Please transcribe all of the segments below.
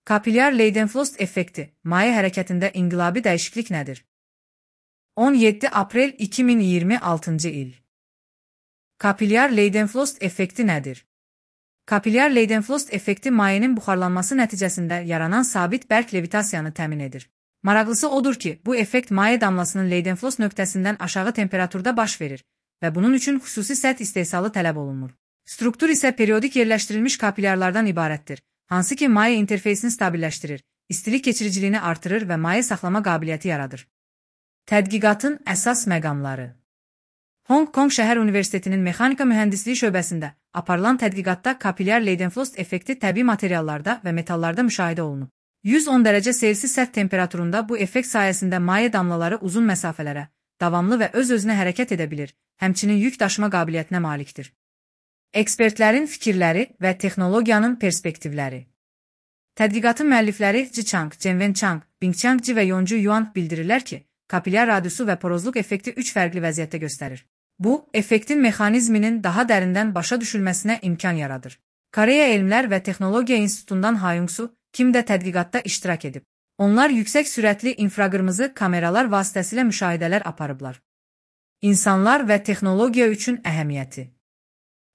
Kapilyar Leidenfrost effekti, maye hərəkətində inqilabi dəyişiklik nədir? 17 aprel 2026 il. Kapilyar Leidenfrost effekti nədir? Kapilyar Leidenfrost effekti mayenin buxarlanması nəticəsində yaranan sabit bərk levitasiyanı təmin edir. Maraqlısı odur ki, bu effekt maye damlasının Leidenfrost nöqtəsindən aşağı temperaturda baş verir və bunun üçün xüsusi səth istehsalı tələb olunur. Struktur isə periodik yerləşdirilmiş kapilyarlardan ibarətdir, hansı ki maye interfeysini stabilləşdirir, istilik keçiriciliyini artırır və maye saxlama qabiliyyəti yaradır. Tədqiqatın əsas məqamları. Hong Kong Şəhər Universitetinin Mexanika Mühəndisliyi şöbəsində aparılan tədqiqatda kapilyar Leidenfrost effekti təbii materiallarda və metallarda müşahidə olunub. 110 dərəcə Selsi səth temperaturunda bu effekt sayəsində maye damlaları uzun məsafələrə, davamlı və öz-özünə hərəkət edə bilir, həmçinin yük daşıma qabiliyyətinə malikdir. Ekspertlərin fikirləri və texnologiyanın perspektivləri. Tədqiqatın müəllifləri Zhichang, Zhenwen Chang, Bingqiang Ji və Yonju Yuan bildirirlər ki, kapilyar radiusu və porozluq effekti 3 fərqli vəziyyətdə göstərir. Bu, effektin mexanizminin daha dərindən başa düşülməsinə imkan yaradır. Koreya Elmlər və Texnologiya İnstitutundan Ha Yong-su, Kim də tədqiqatda iştirak edib. Onlar yüksək sürətli infraqırmızı kameralar vasitəsilə müşahidələr aparıblar. İnsanlar və texnologiya üçün əhəmiyyəti.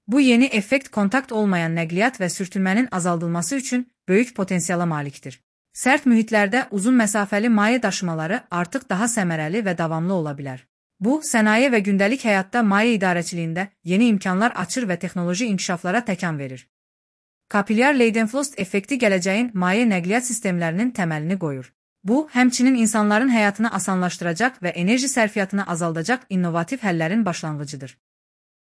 Bu yeni effekt kontakt olmayan nəqliyyat və sürtünmənin azaldılması üçün böyük potensiala malikdir. Sərt mühitlərdə uzun məsafəli maye daşımaları artıq daha səmərəli və davamlı ola bilər. Bu, sənaye və gündəlik həyatda maye idarəçiliyində yeni imkanlar açır və texnoloji inkişaflara təkan verir. Kapilyar Leidenfrost effekti gələcəyin maye nəqliyyat sistemlərinin təməlini qoyur. Bu, həmçinin insanların həyatını asanlaşdıracaq və enerji sərfiyyatını azaldacaq innovativ həllərin başlanğıcıdır.